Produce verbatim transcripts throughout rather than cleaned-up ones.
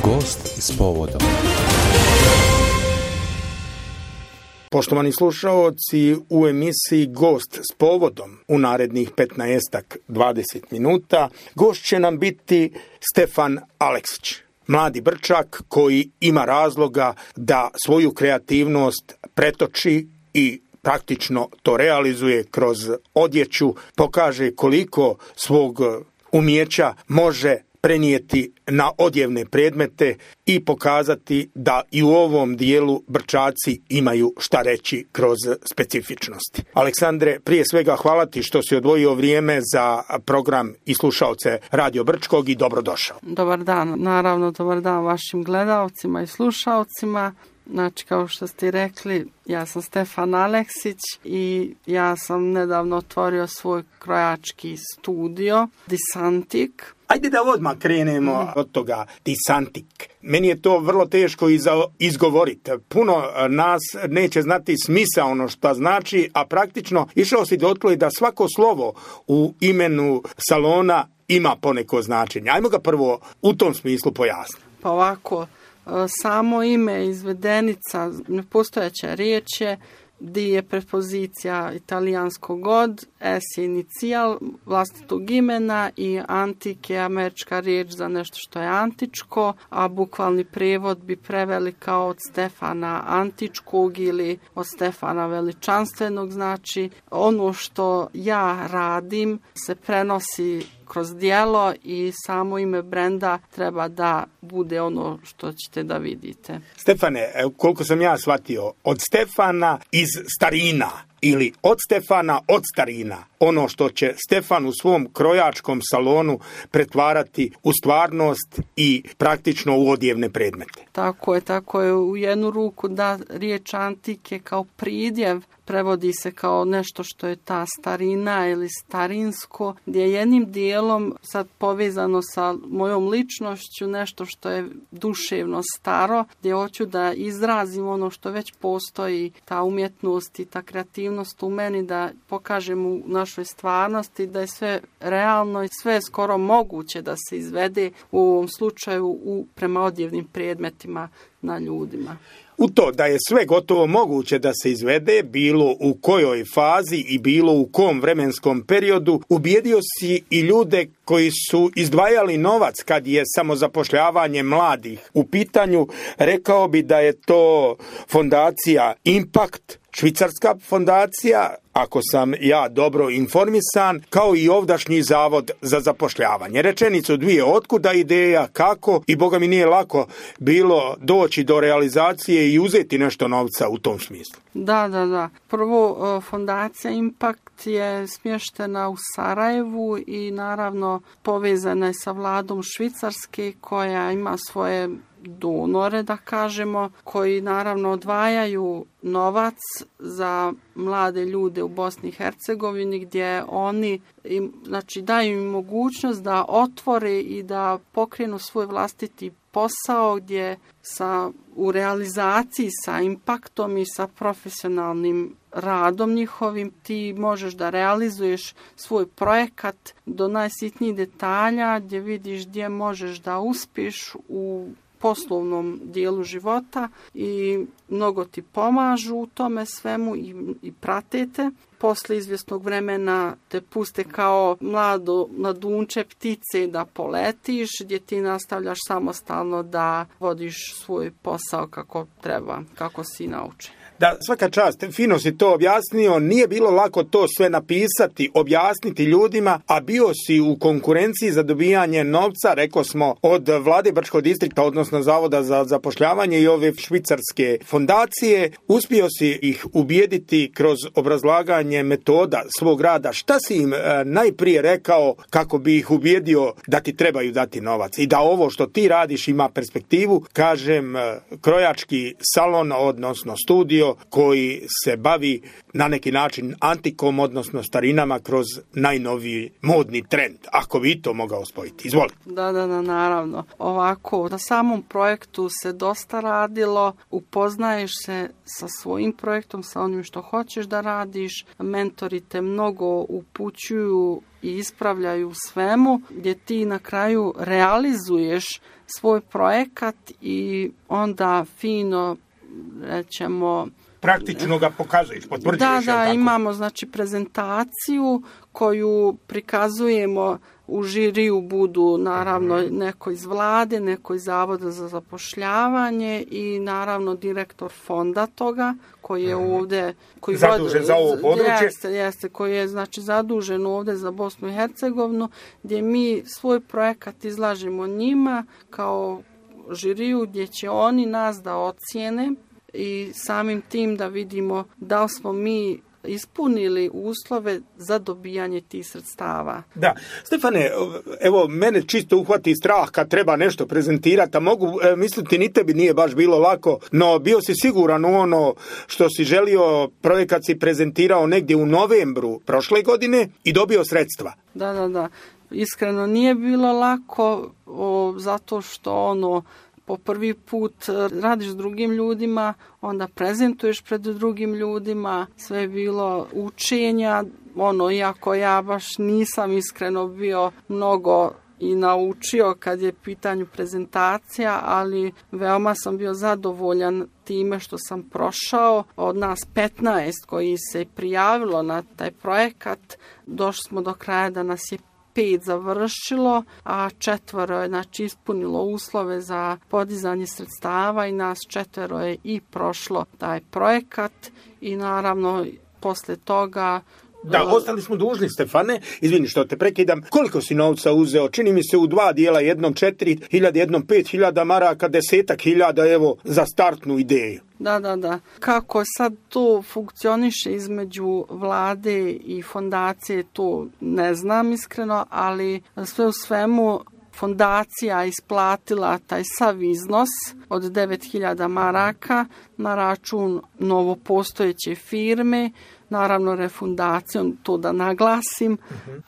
Gost s povodom. Poštovani slušaoci, u emisiji Gost s povodom u narednih petnaestak dvadeset minuta gost će nam biti Stefan Aleksić, mladi Brčak koji ima razloga da svoju kreativnost pretoči i praktično to realizuje kroz odjeću, pokaže koliko svog umijeća može prenijeti na odjevne predmete i pokazati da i u ovom dijelu Brčaci imaju šta reći kroz specifičnosti. Aleksandre, prije svega hvala ti što si odvojio vrijeme za program i slušaoce Radio Brčkog i dobrodošao. Dobar dan, naravno dobar dan vašim gledalcima i slušaocima. Znači, kao što ste rekli, ja sam Stefan Aleksić i ja sam nedavno otvorio svoj krojački studio, Disantik. Ajde da odmah krenemo mm. od toga Disantik. Meni je to vrlo teško izgovoriti. Puno nas neće znati smisao ono što znači, a praktično išao si dotle da svako slovo u imenu salona ima poneko značenje. Ajmo ga prvo u tom smislu pojasniti. Pa ovako, samo ime izvedenica, nepostojeća riječ je, di je prepozicija italijanskog od, S je inicijal vlastitog imena i antik je američka riječ za nešto što je antičko, a bukvalni prijevod bi preveli kao od Stefana Antičkog ili od Stefana Veličanstvenog. Znači, ono što ja radim se prenosi kroz djelo i samo ime brenda treba da bude ono što ćete da vidite. Stefane, koliko sam ja shvatio, od Stefana iz starina ili od Stefana od starina, ono što će Stefan u svom krojačkom salonu pretvarati u stvarnost i praktično u odjevne predmete. Tako je, tako je. U jednu ruku da riječ antike kao pridjev prevodi se kao nešto što je ta starina ili starinsko, gdje je jednim dijelom sad povezano sa mojom ličnošću nešto što je duševno staro, gdje hoću da izrazim ono što već postoji, ta umjetnost i ta kreativnost u meni, da pokažem u našoj stvarnosti da je sve realno i sve skoro moguće da se izvede u ovom slučaju u prema odjevnim predmetima na ljudima. U to da je sve gotovo moguće da se izvede, bilo u kojoj fazi i bilo u kom vremenskom periodu, ubijedio si i ljude koji su izdvajali novac kad je samozapošljavanje mladih u pitanju. Rekao bi da je to fondacija Impact, švicarska fondacija, ako sam ja dobro informisan, kao i ovdašnji zavod za zapošljavanje. Rečenicu dvije, otkuda ideja, kako, i boga mi nije lako bilo doći do realizacije i uzeti nešto novca u tom smislu. Da, da, da. Prvo, fondacija Impact je smještena u Sarajevu i naravno povezana je sa vladom Švicarske koja ima svoje donore, da kažemo, koji naravno odvajaju novac za mlade ljude u Bosni i Hercegovini, gdje oni im, znači, daju im mogućnost da otvore i da pokrenu svoj vlastiti posao, gdje sa, u realizaciji sa impaktom i sa profesionalnim radom njihovim ti možeš da realizuješ svoj projekat do najsitnijih detalja, gdje vidiš gdje možeš da uspiješ u poslovnom dijelu života i mnogo ti pomažu u tome svemu i, i pratete. Posle izvjesnog vremena te puste kao mlado mladunče ptice da poletiš, gdje ti nastavljaš samostalno da vodiš svoj posao kako treba, kako si naučen. Da, svaka čast, fino si to objasnio, nije bilo lako to sve napisati, objasniti ljudima, a bio si u konkurenciji za dobijanje novca, rekao smo, od vlade Brčkog distrikta, odnosno Zavoda za zapošljavanje i ove švicarske fondacije. Uspio si ih ubijediti kroz obrazlaganje metoda svog rada. Šta si im e, najprije rekao kako bi ih ubijedio da ti trebaju dati novac i da ovo što ti radiš ima perspektivu? Kažem, e, krojački salon, odnosno studio, studio koji se bavi na neki način antikom, odnosno starinama kroz najnoviji modni trend. Ako bi to mogao spojiti. Izvolite. Da, da, da, naravno. Ovako, na samom projektu se dosta radilo, upoznaješ se sa svojim projektom, sa onim što hoćeš da radiš, mentori te mnogo upućuju i ispravljaju svemu, gdje ti na kraju realizuješ svoj projekat i onda fino, rećemo, praktično ga pokazuješ, potvrđuješ. Da, da, tako? Imamo znači prezentaciju koju prikazujemo. U žiriju budu naravno neko iz vlade, neko iz Zavoda za zapošljavanje i naravno direktor fonda toga koji je ovdje koji zadužen vod, za ovo područje. Jeste, jeste, koji je znači zadužen ovdje za Bosnu i Hercegovinu, gdje mi svoj projekat izlažemo njima kao žiriju, gdje će oni nas da ocijene i samim tim da vidimo da li smo mi ispunili uslove za dobijanje tih sredstava. Da. Stefane, evo, mene čisto uhvati strah kad treba nešto prezentirati, a mogu e, misliti ni tebi nije baš bilo lako, no bio si siguran u ono što si želio, projekat si prezentirao negdje u novembru prošle godine i dobio sredstva. Da, da, da. Iskreno nije bilo lako, o, zato što ono, po prvi put radiš s drugim ljudima, onda prezentuješ pred drugim ljudima, sve je bilo učenja, ono, iako ja baš nisam iskreno bio mnogo i naučio kad je pitanju prezentacija, ali veoma sam bio zadovoljan time što sam prošao. Od nas petnaest koji se prijavilo na taj projekat, došli smo do kraja da nas je pet završilo, a četvoro je znači ispunilo uslove za podizanje sredstava i nas četvero je i prošlo taj projekat i naravno posle toga. Da, ostali smo dužni, Stefane, izvini što te prekidam, koliko si novca uzeo? Čini mi se u dva dijela, jednom četiri hiljade, jednom pet hiljada maraka, desetak hiljada, evo, za startnu ideju. Da, da, da. Kako sad to funkcioniše između vlade i fondacije, to ne znam iskreno, ali sve u svemu fondacija isplatila taj sav iznos od devet hiljada maraka na račun novopostojeće firme, naravno refundacijom, to da naglasim,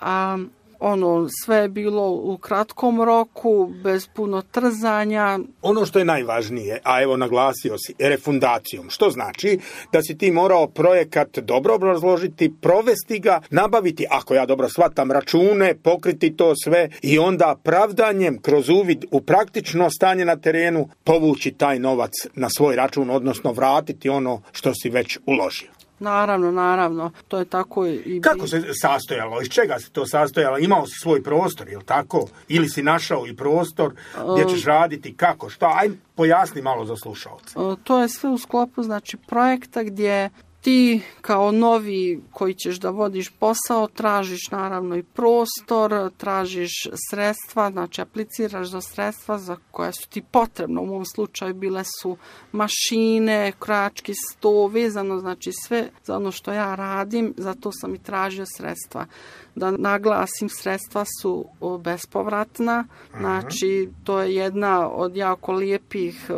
a ono, sve je bilo u kratkom roku, bez puno trzanja. Ono što je najvažnije, a evo naglasio si, refundacijom, što znači da si ti morao projekat dobro obrazložiti, provesti ga, nabaviti, ako ja dobro shvatam, račune, pokriti to sve i onda pravdanjem kroz uvid u praktično stanje na terenu povući taj novac na svoj račun, odnosno vratiti ono što si već uložio. Naravno, naravno, to je tako i... Kako se sastojalo? Iz čega se to sastojalo? Imao si svoj prostor, je li tako? Ili si našao i prostor gdje ćeš raditi? Kako? Šta? Aj, pojasni malo za slušalce. To je sve u sklopu, znači, projekta gdje ti kao novi koji ćeš da vodiš posao tražiš naravno i prostor, tražiš sredstva, znači apliciraš za sredstva za koja su ti potrebna. U mom slučaju bile su mašine, krojački sto, vezano znači sve za ono što ja radim, zato sam i tražio sredstva. Da naglasim, sredstva su bespovratna, znači to je jedna od jako lijepih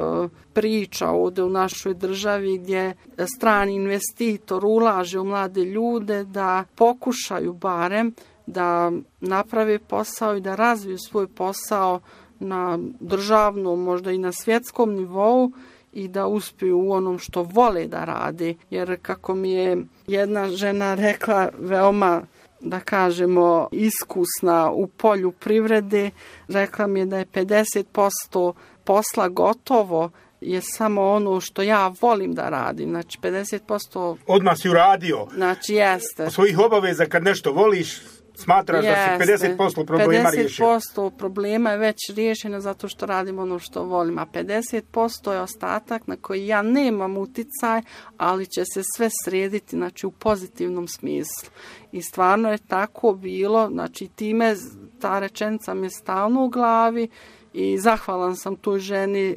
priča ovdje u našoj državi gdje strani investitor ulaže u mlade ljude da pokušaju barem da naprave posao i da razviju svoj posao na državnom, možda i na svjetskom nivou i da uspiju u onom što vole da rade. Jer kako mi je jedna žena rekla, veoma da kažemo iskusna u polju privrede, rekla mi je da je pedeset posto posla gotovo je samo ono što ja volim da radim. Znači pedeset posto... Odmah si uradio. Znači jeste. Svojih obaveza kad nešto voliš, smatraš jeste. Da si pedeset posto problema riješio. pedeset posto problema je već riješeno zato što radim ono što volim, a pedeset posto je ostatak na koji ja nemam uticaj, ali će se sve srediti, znači u pozitivnom smislu. I stvarno je tako bilo, znači time ta rečenica mi je stalno u glavi i zahvalan sam toj ženi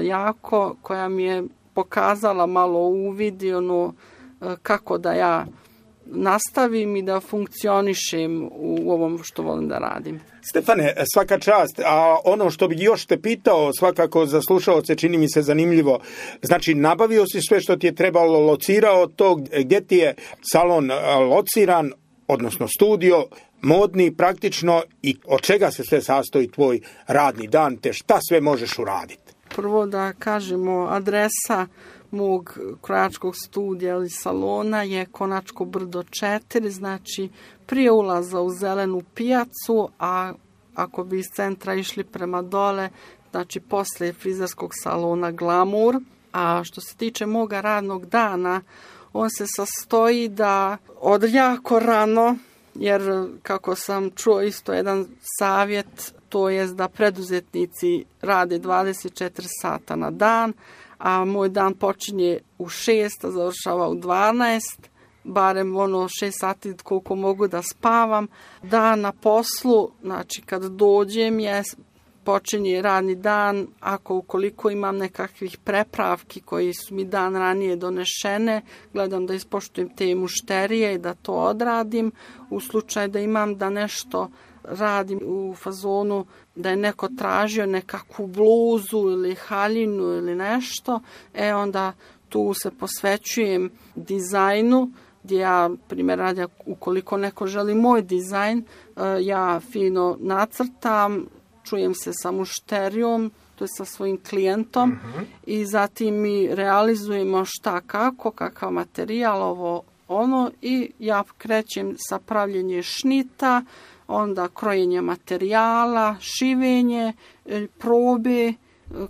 jako, koja mi je pokazala malo uvid i ono kako da ja nastavim i da funkcionišem u ovom što volim da radim. Stefane, svaka čast, a ono što bi još te pitao, svakako za slušaoce čini mi se zanimljivo, znači nabavio si sve što ti je trebalo, locirao to, gdje ti je salon lociran, odnosno studio, modni praktično, i od čega se sve sastoji tvoj radni dan, te šta sve možeš uraditi? Prvo da kažemo, adresa mog krojačkog studija ili salona je Konačko brdo četiri, znači prije ulaza u Zelenu pijacu, a ako bi iz centra išli prema dole, znači poslije frizerskog salona Glamour. A što se tiče moga radnog dana, on se sastoji da od jako rano, jer kako sam čuo isto jedan savjet, to je da preduzetnici rade dvadeset četiri sata na dan, a moj dan počinje u šest, a završava u dvanaest, barem ono šest sati koliko mogu da spavam. Dan na poslu, znači kad dođem je počinje radni dan, ako ukoliko imam nekakvih prepravki koji su mi dan ranije donešene, gledam da ispoštujem te mušterije i da to odradim. U slučaju da imam da nešto radim u fazonu da je neko tražio nekakvu bluzu ili haljinu ili nešto, e onda tu se posvećujem dizajnu, gdje ja, primjer radi, ukoliko neko želi moj dizajn, ja fino nacrtam, čujem se sa mušterijom, to je sa svojim klijentom, uh-huh. i zatim mi realizujemo šta kako, kakav materijal, ovo ono, i ja krećem sa pravljenje šnita, onda krojenje materijala, šivenje, probe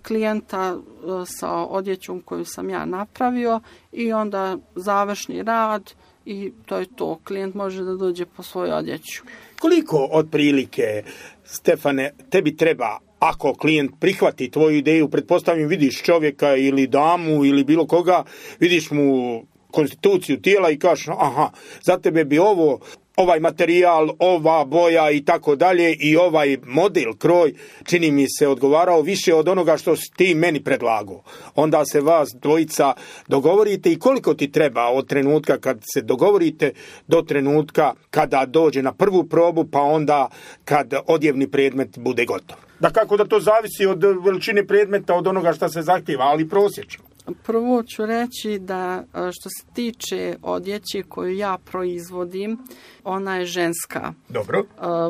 klijenta sa odjećom koju sam ja napravio i onda završni rad i to je to. Klijent može da dođe po svoju odjeću. Koliko otprilike, Stefane, tebi treba, ako klijent prihvati tvoju ideju, pretpostavljam vidiš čovjeka ili damu ili bilo koga, vidiš mu konstituciju tijela i kažeš aha, za tebe bi ovo, ovaj materijal, ova boja i tako dalje i ovaj model, kroj, čini mi se odgovarao više od onoga što si ti meni predlagao. Onda se vas dvojica dogovorite i koliko ti treba od trenutka kad se dogovorite do trenutka kada dođe na prvu probu, pa onda kad odjevni predmet bude gotov. Da kako da to zavisi od veličine predmeta, od onoga što se zahtjeva, ali prosječno. Prvo ću reći da što se tiče odjeće koju ja proizvodim, ona je ženska. Dobro.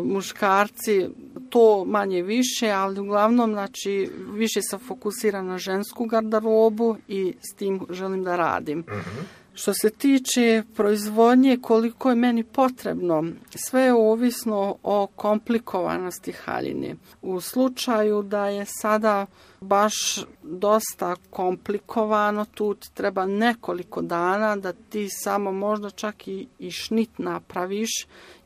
Muškarci to manje više, ali uglavnom znači, više sam fokusirana na žensku garderobu i s tim želim da radim. Uh-huh. Što se tiče proizvodnje, koliko je meni potrebno, sve je ovisno o komplikovanosti haljine. U slučaju da je sada baš dosta komplikovano, tu ti treba nekoliko dana da ti samo možda čak i, i šnit napraviš,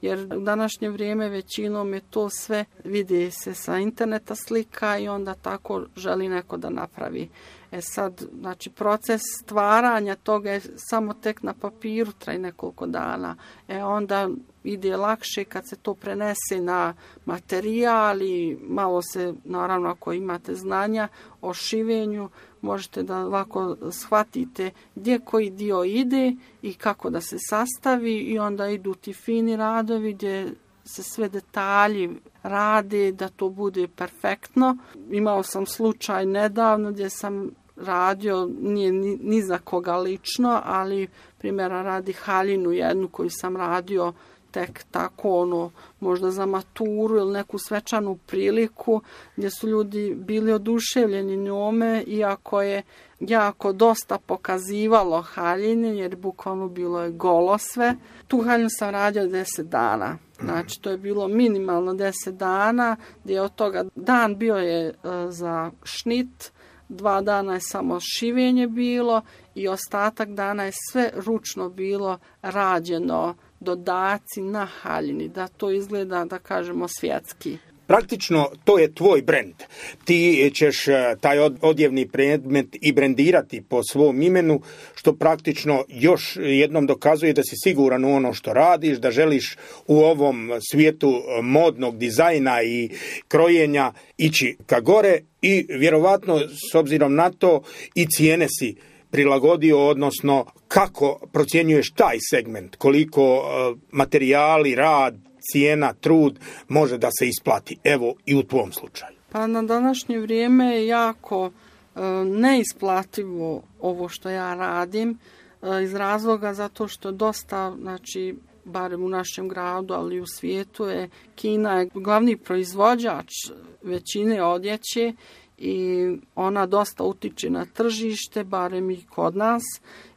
jer u današnje vrijeme većinom je to sve, vidi se sa interneta slika i onda tako želi neko da napravi. E sad, znači, proces stvaranja toga je samo tek na papiru, traje nekoliko dana. E onda ide lakše kad se to prenese na materijal i malo se, naravno ako imate znanja o šivenju, možete da lako shvatite gdje koji dio ide i kako da se sastavi i onda idu ti fini radovi gdje se sve detalji rade da to bude perfektno. Imao sam slučaj nedavno gdje sam radio, nije ni, ni za koga lično, ali primjera radi haljinu jednu koju sam radio tek tako ono, možda za maturu ili neku svečanu priliku gdje su ljudi bili oduševljeni njome, iako je jako dosta pokazivalo haljine, jer bukvalno bilo je golo sve. Tu haljinu sam radio deset dana. Znači, to je bilo minimalno deset dana, gdje od toga dan bio je uh, za šnit, dva dana je samo šivenje bilo i ostatak dana je sve ručno bilo rađeno, dodaci na haljini, da to izgleda, da kažemo, svjetski. Praktično, to je tvoj brend. Ti ćeš taj odjevni predmet i brendirati po svom imenu, što praktično još jednom dokazuje da si siguran u ono što radiš, da želiš u ovom svijetu modnog dizajna i krojenja ići ka gore i vjerovatno, s obzirom na to, i cijene si prilagodio, odnosno kako procjenjuješ taj segment, koliko materijali, rad, cijena, trud može da se isplati, evo i u tvom slučaju? Pa na današnje vrijeme je jako e, neisplativo ovo što ja radim, e, iz razloga zato što dosta, znači, barem u našem gradu, ali i u svijetu je Kina je glavni proizvođač većine odjeće i ona dosta utiče na tržište, barem i kod nas.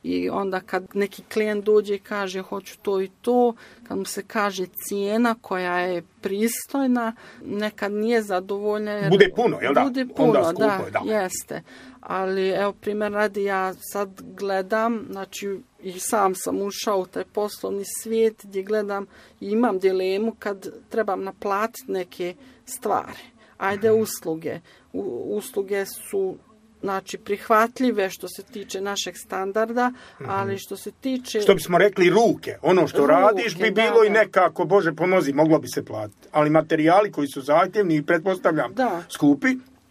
I onda kad neki klijent dođe i kaže hoću to i to, kad mu se kaže cijena koja je pristojna, nekad nije zadovoljna. Jer bude puno, jel da? Bude puno, onda skupo, da, da, jeste. Ali evo primjer radi, ja sad gledam, znači i sam sam ušao u taj poslovni svijet gdje gledam i imam dilemu kad trebam naplatiti neke stvari. Ajde usluge. U, usluge su znači prihvatljive što se tiče našeg standarda, mm-hmm. ali što se tiče... Što bismo rekli ruke, ono što ruke, radiš bi bilo da, i nekako, Bože pomozi, moglo bi se platiti. Ali materijali koji su zahtjevni i pretpostavljam da. skupi.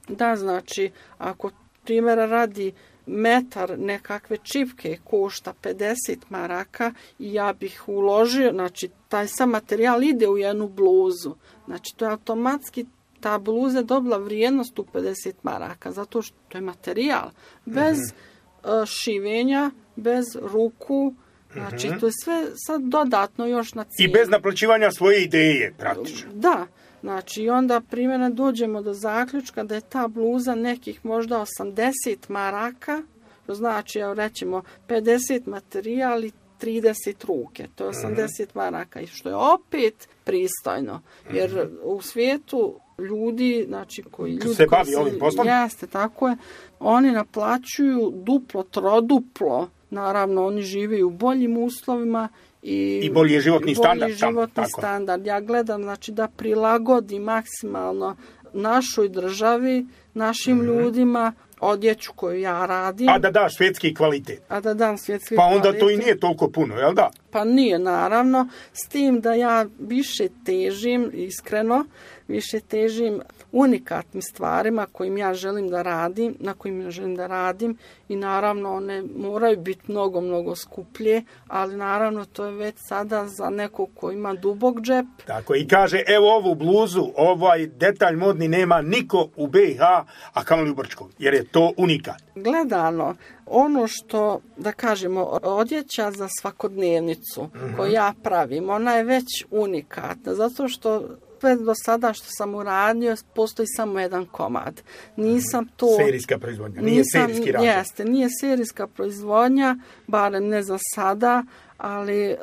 Da, znači, ako primjera radi metar nekakve čipke košta pedeset maraka i ja bih uložio, znači taj sam materijal ide u jednu bluzu. Znači to je automatski ta bluza je dobila vrijednost u pedeset maraka, zato što to je materijal. Bez mm-hmm. uh, šivenja, bez ruku, znači mm-hmm. to je sve sad dodatno još na cijenu. I bez naplaćivanja svoje ideje, praktično. Da, znači i onda primjerno dođemo do zaključka da je ta bluza nekih možda osamdeset maraka, to znači, evo rećemo, pedeset materijal i trideset ruke, to je osamdeset mm-hmm. maraka, i što je opet pristojno, jer mm-hmm. u svijetu ljudi, znači koji ljudi se bavi ovim poslom, jeste, tako je, oni naplaćuju duplo, troduplo, naravno oni žive u boljim uslovima i, i bolji je životni i bolji standard. životni tam, standard. Ja gledam, znači, da prilagodi maksimalno našoj državi, našim mm-hmm. ljudima, odjeću koju ja radim. A da daš svjetski kvalitet. A da dam svjetski pa onda kvalitet. To i nije toliko puno, jel da? Pa nije, naravno, s tim da ja više težim, iskreno, više težim unikatnim stvarima kojim ja želim da radim, na kojim ja želim da radim, i naravno one moraju biti mnogo, mnogo skuplje, ali naravno to je već sada za nekog ko ima dubok džep. Tako, i kaže, evo ovu bluzu, ovaj detalj modni nema niko u B i H, a kamoli u Brčkom, jer je to unikat. Gledano, ono što, da kažemo, odjeća za svakodnevnicu mm-hmm. koju ja pravim, ona je već unikatna, zato što sve do sada što sam uradio, postoji samo jedan komad. Nisam to... Serijska proizvodnja, nije nisam, serijski rad. Jeste, nije serijska proizvodnja, barem ne za sada, ali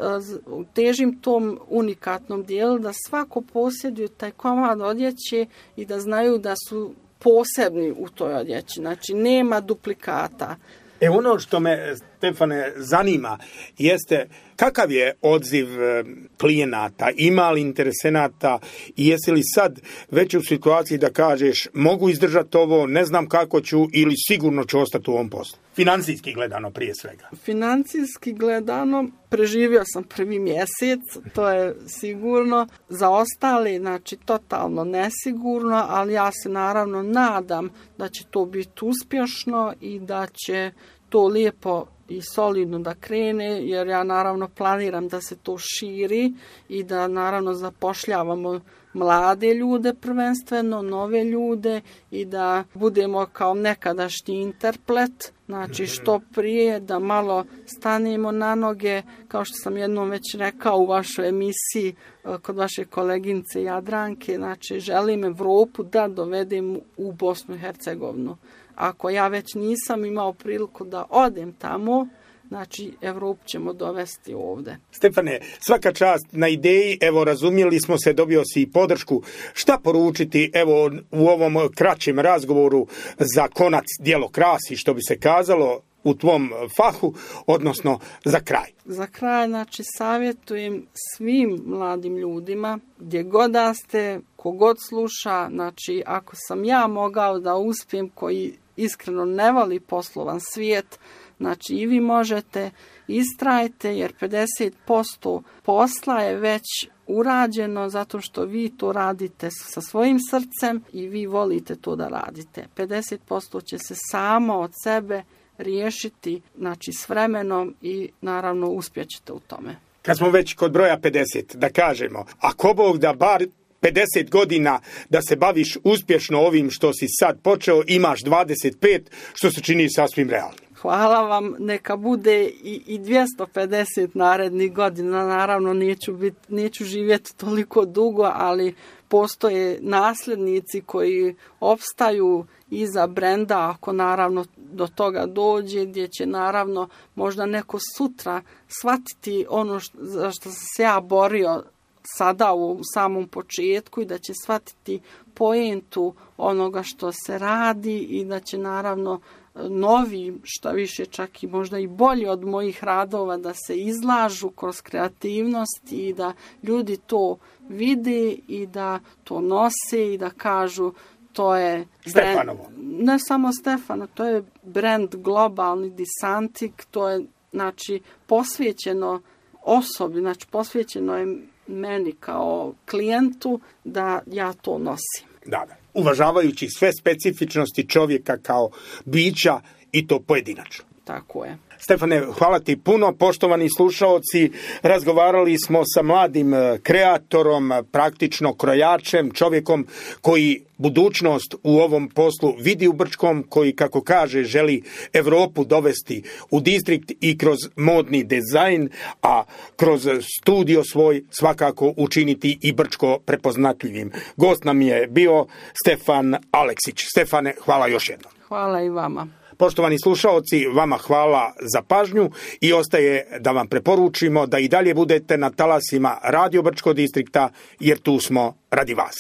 uh, težim tom unikatnom dijelu da svako posjeduje taj komad odjeće i da znaju da su posebni u toj odjeći. Znači, nema duplikata. E ono što me, Stefane, zanima jeste kakav je odziv klijenata, ima li interesenata i jesi li sad već u situaciji da kažeš mogu izdržati ovo, ne znam kako ću ili sigurno ću ostati u ovom poslu? Financijski gledano prije svega. Financijski gledano preživio sam prvi mjesec, to je sigurno. Za ostali, znači totalno nesigurno, ali ja se naravno nadam da će to biti uspješno i da će to lijepo i solidno da krene, jer ja naravno planiram da se to širi i da naravno zapošljavamo mlade ljude prvenstveno, nove ljude i da budemo kao nekadašnji Interplet, znači što prije da malo stanemo na noge, kao što sam jednom već rekao u vašoj emisiji kod vaše koleginice Jadranke, znači želim Evropu da dovedem u Bosnu i Hercegovinu. Ako ja već nisam imao priliku da odem tamo, znači Evropu ćemo dovesti ovdje. Stefane, svaka čast na ideji, evo razumjeli smo se, dobio si i podršku. Šta poručiti evo u ovom kraćem razgovoru za konac djelo krasi, što bi se kazalo u tvom fahu, odnosno za kraj? Za kraj, znači, savjetujem svim mladim ljudima, gdje god da ste, kogod sluša, znači, ako sam ja mogao da uspijem, koji iskreno ne voli poslovan svijet, znači i vi možete, istrajte, jer pedeset posto posla je već urađeno zato što vi to radite sa svojim srcem i vi volite to da radite. pedeset posto će se samo od sebe riješiti, znači s vremenom i naravno uspjećete u tome. Kad smo već kod broja pedeset, da kažemo, ako Bog da bar pedeset godina da se baviš uspješno ovim što si sad počeo, imaš dvadeset pet, što se čini sasvim realno. Hvala vam, neka bude i, i dvjesto pedeset narednih godina, naravno neću, bit, neću živjeti toliko dugo, ali postoje nasljednici koji opstaju iza brenda, ako naravno do toga dođe, gdje će naravno možda neko sutra shvatiti ono što, za što sam se ja borio sada u samom početku i da će shvatiti poentu onoga što se radi i da će naravno novi, šta više čak i možda i bolji od mojih radova da se izlažu kroz kreativnost i da ljudi to vide i da to nose i da kažu to je Stefanovo. Brand, ne samo Stefano, to je brand globalni Disantik, to je znači posvećeno osobi, znači posvećeno je meni kao klijentu da ja to nosim. Da, da. Uvažavajući sve specifičnosti čovjeka kao bića i to pojedinačno. Tako je. Stefane, hvala ti puno. Poštovani slušaoci, razgovarali smo sa mladim kreatorom, praktično krojačem, čovjekom koji budućnost u ovom poslu vidi u Brčkom, koji, kako kaže, želi Europu dovesti u distrikt i kroz modni dizajn, a kroz studio svoj svakako učiniti i Brčko prepoznatljivim. Gost nam je bio Stefan Aleksić. Stefane, hvala još jednom. Hvala i vama. Poštovani slušaoci, vama hvala za pažnju i ostaje da vam preporučimo da i dalje budete na talasima Radio Brčko distrikta, jer tu smo radi vas.